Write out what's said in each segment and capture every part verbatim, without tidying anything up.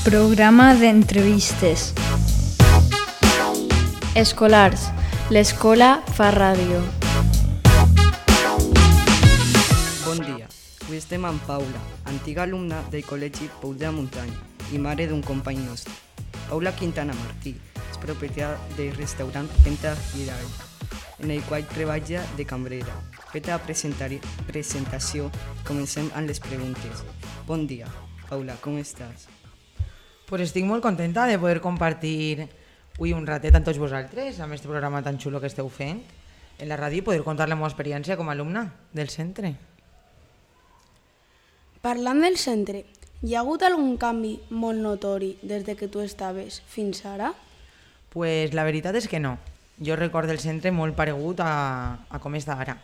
Programa d'entrevistes. Escolars. L'escola fa ràdio. Bon dia. Avui estem amb Paula, antiga alumna del Col·legi Pou de la Muntanya i mare d'un company nostre. Paula Quintana Martí és propietària del restaurant Penta Girall, en el qual treballa de cambrera. Feta la presentació, comencem amb les preguntes. Bon dia. Paula, com estàs? Pues estic molt contenta de poder compartir avui un ratet amb tots vosaltres, amb aquest programa tan xulo que esteu fent en la ràdio i poder contar la meva experiència com a alumna del centre. Parlant del centre, hi ha hagut algun canvi molt notori des de que tu estaves fins ara? Pues la veritat és que no. Jo recordo el centre molt paregut a, a com està ara.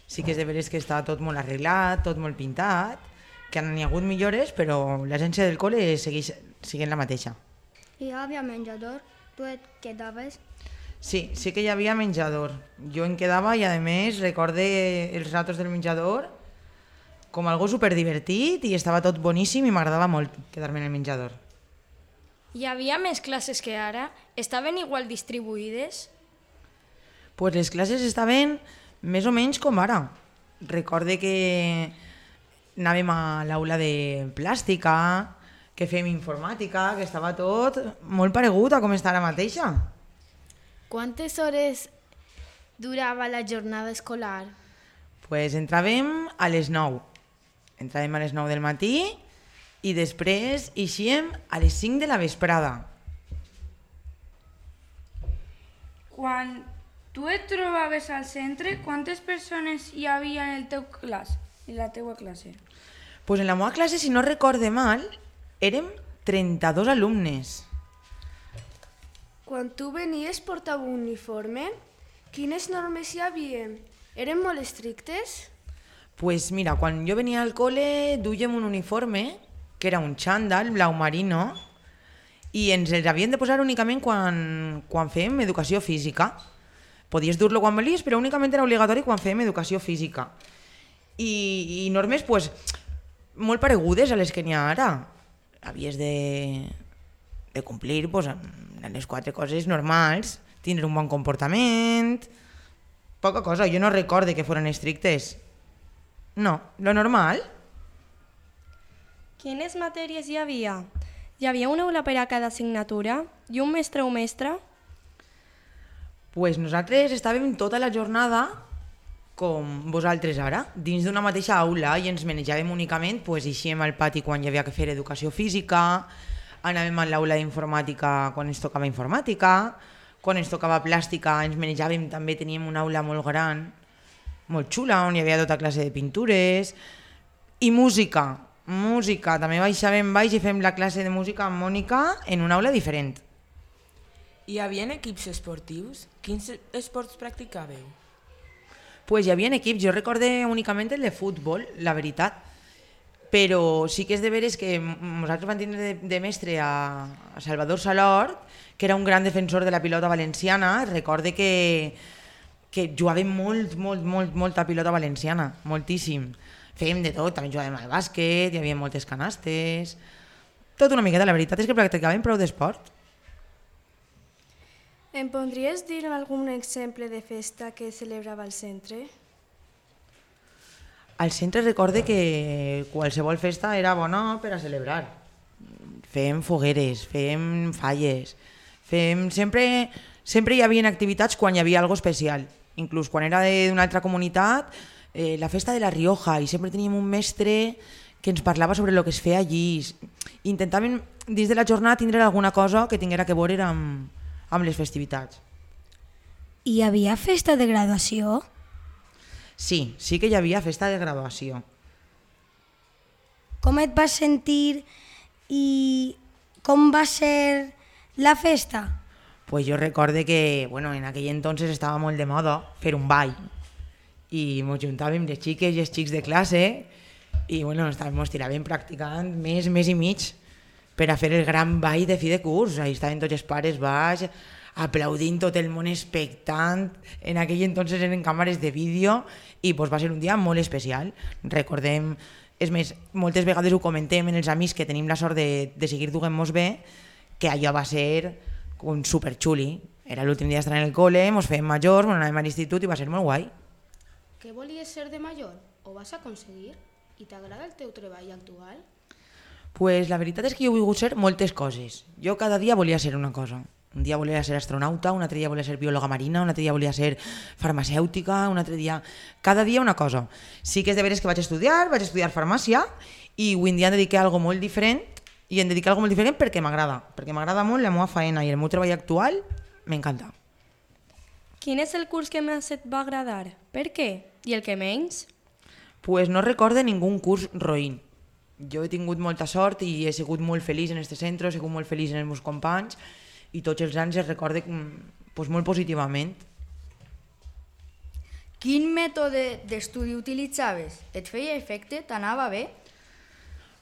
Sí que és de veres que està tot molt arreglat, tot molt pintat, que n'hi ha hagut millores, però l'essència del col·le segueix sent la mateixa. Hi havia menjador? Tu et quedaves? Sí, sí que hi havia menjador. Jo em quedava i a més recorde els ratos del menjador com algo superdivertit i estava tot boníssim i m'agradava molt quedar-me en el menjador. Hi havia més classes que ara? Estaven igual distribuïdes? Pues les classes estaven més o menys com ara. Recorde que anàvem a l'aula de plàstica, que fèiem informàtica, que estava tot molt paregut a com està ara mateixa. Quantes hores durava la jornada escolar? Pues entràvem a les nou. Entràvem a les nou del matí i després eixíem a les cinc de la vesprada. Quan tu et trobaves al centre, quantes persones hi havia en el teu classe, en la teua classe? Pues en la meva classe, si no recorde mal, érem trenta-dos alumnes. Quan tu venies portava un uniforme? Quines normes hi havia? Eren molt estrictes? Pues mira, quan jo venia al col·le duíem un uniforme, que era un xandall blau marino, i ens els havien de posar únicament quan, quan fèiem educació física. Podies dur-lo quan volies, però únicament era obligatori quan fèiem educació física. I, i normes pues, molt paregudes a les que n'hi ha ara. Havies de, de complir pues, les quatre coses normals, tindre un bon comportament, poca cosa. Jo no recorde que foren estrictes. No, lo normal. Quines matèries hi havia? Hi havia una aula per a cada assignatura i un mestre o mestra? Pues nosaltres estàvem tota la jornada com vosaltres ara, dins d'una mateixa aula i ens menjàvem únicament, pues, eixíem al pati quan hi havia que fer educació física, anàvem a l'aula d'informàtica quan ens tocava informàtica, quan ens tocava plàstica ens menjàvem, també teníem una aula molt gran, molt xula, on hi havia tota classe de pintures, i música, música, també baixàvem baix i fem la classe de música amb Mònica en una aula diferent. Hi havia equips esportius? Quins esports practicàveu? Pues hi havia equips, jo recorde únicament el de futbol, la veritat, però sí que és de veres que nosaltres vam tindre de, de mestre a, a Salvador Salort, que era un gran defensor de la pilota valenciana. Recorde que, que jugàvem molt, molt, molt, molta pilota valenciana, moltíssim. Fèiem de tot, també jugàvem al bàsquet, hi havia moltes canastes, tot una miqueta, la veritat és que practicàvem prou d'esport. Em podries dir algun exemple de festa que celebrava al centre? Al centre recorde que qualsevol festa era bona per a celebrar. Fèiem fogueres, fèiem falles, fèiem... Sempre, sempre hi havia activitats quan hi havia alguna especial. Inclús quan era d'una altra comunitat, eh, la festa de la Rioja, i sempre teníem un mestre que ens parlava sobre el que es feia allí. Intentàvem, dins de la jornada, tindre alguna cosa que tinguera que veure amb... amb les festivitats. Hi havia festa de graduació? Sí, sí que hi havia festa de graduació. Com et vas sentir i com va ser la festa? Pues jo recorde que, bueno, en aquell entonces estava molt de moda fer un ball i ens juntàvem les xiques i els xics de classe i, bueno, ens tiràvem practicant més, més i mig per a fer el gran ball de fi de curs. Ahí estaven tots els pares baix, aplaudint, tot el món expectant. En aquell entonces eren càmeres de vídeo i pues, va ser un dia molt especial. Recordem És més, moltes vegades ho comentem en els amics que tenim la sort de, de seguir duent-nos bé, que allò va ser un superxuli. Era l'últim dia d'estar en el col·le, ens fèiem majors, ens anàvem a l'institut i va ser molt guai. Què volies ser de major? Ho vas aconseguir? I t'agrada el teu treball actual? Pues la veritat és que jo he volgut ser moltes coses. Jo cada dia volia ser una cosa. Un dia volia ser astronauta, un altre dia volia ser biòloga marina, un altre dia volia ser farmacèutica, un altre dia... Cada dia una cosa. Sí que és de veres que vaig estudiar, vaig estudiar farmàcia i avui en dia em dediqué a algo molt diferent i em dediqué a algo molt diferent perquè m'agrada. Perquè m'agrada molt la meva feina i el meu treball actual m'encanta. Quin és el curs que més et va agradar? Per què? I el que menys? Pues no recorde ningú curs roïn. Jo he tingut molta sort i he sigut molt feliç en este centre, he sigut molt feliç en els meus companys i tots els anys es recorde pues, molt positivament. Quin mètode d'estudi utilitzaves? Et feia efecte? T'anava bé?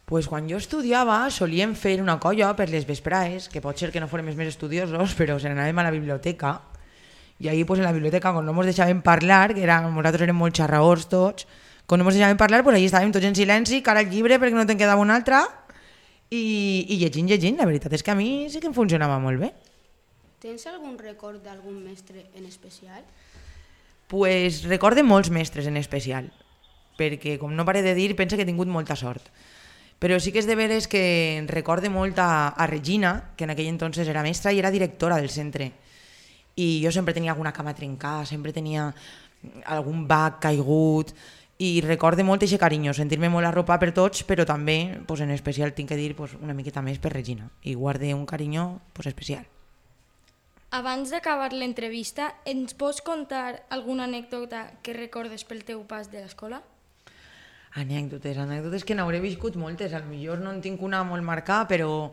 Pues quan jo estudiava solíem fer una colla per les vesprades, que pot ser que no fórem els més estudiosos, però se n'anàvem a la biblioteca. I ahí pues, en la biblioteca, quan no ens deixàvem parlar, que era, nosaltres érem molt xarraors tots, quan no ens deixàvem parlar, pues, allí estàvem tots en silenci, cara al llibre perquè no te'n quedava un altre, i, i llegint, llegint. La veritat és que a mi sí que em funcionava molt bé. Tens algun record d'algun mestre en especial? Pues recorde molts mestres en especial, perquè com no pare de dir, penso que he tingut molta sort. Però sí que és de veres que recorde molt a, a Regina, que en aquell entonces era mestra i era directora del centre. I jo sempre tenia alguna cama trencada, sempre tenia algun bac caigut, i recorde molt aquest carinyo, sentir-me molt arropat per tots, però també, pues, en especial, tinc que dir pues, una miqueta més per Regina, i guarde un carinyo pues, especial. Abans d'acabar l'entrevista, ens pots contar alguna anècdota que recordes pel teu pas de l'escola? Anècdotes, anècdotes que n'hauré viscut moltes, potser no en tinc una molt marcada, però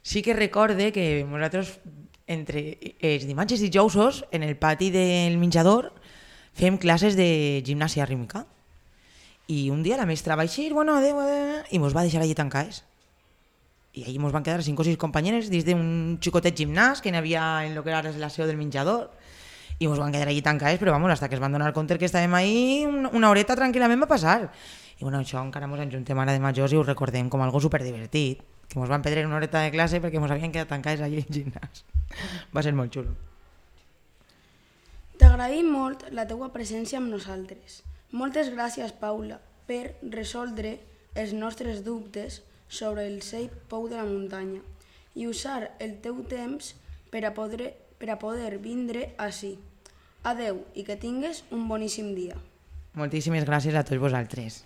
sí que recorde que nosaltres, entre els dimarts i dijous, en el pati del menjador, fem classes de gimnàsia rítmica. I un dia la mestra va eixir, bueno, adeu, adeu, i mos va deixar allí tancades. I allí mos van quedar cinc o sis companyeres dins d'un xicotet gimnàs que n'hi havia en el que era la seu del menjador, i mos van quedar allí tancades, però vamos, hasta que es van donar compte que estàvem ahí, una horeta tranquil·lament va passar. I bueno, això encara mos enjuntem ara de majors i ho recordem com algo superdivertit, que mos van perdre una horeta de classe perquè mos havien quedat tancades allí al gimnàs. Va ser molt xulo. T'agraïm molt la teua presència amb nosaltres. Moltes gràcies, Paula, per resoldre els nostres dubtes sobre el Seix Pou de la Muntanya i usar el teu temps per a poder, per a poder vindre ací. Adeu i que tingues un boníssim dia. Moltíssimes gràcies a tots vosaltres.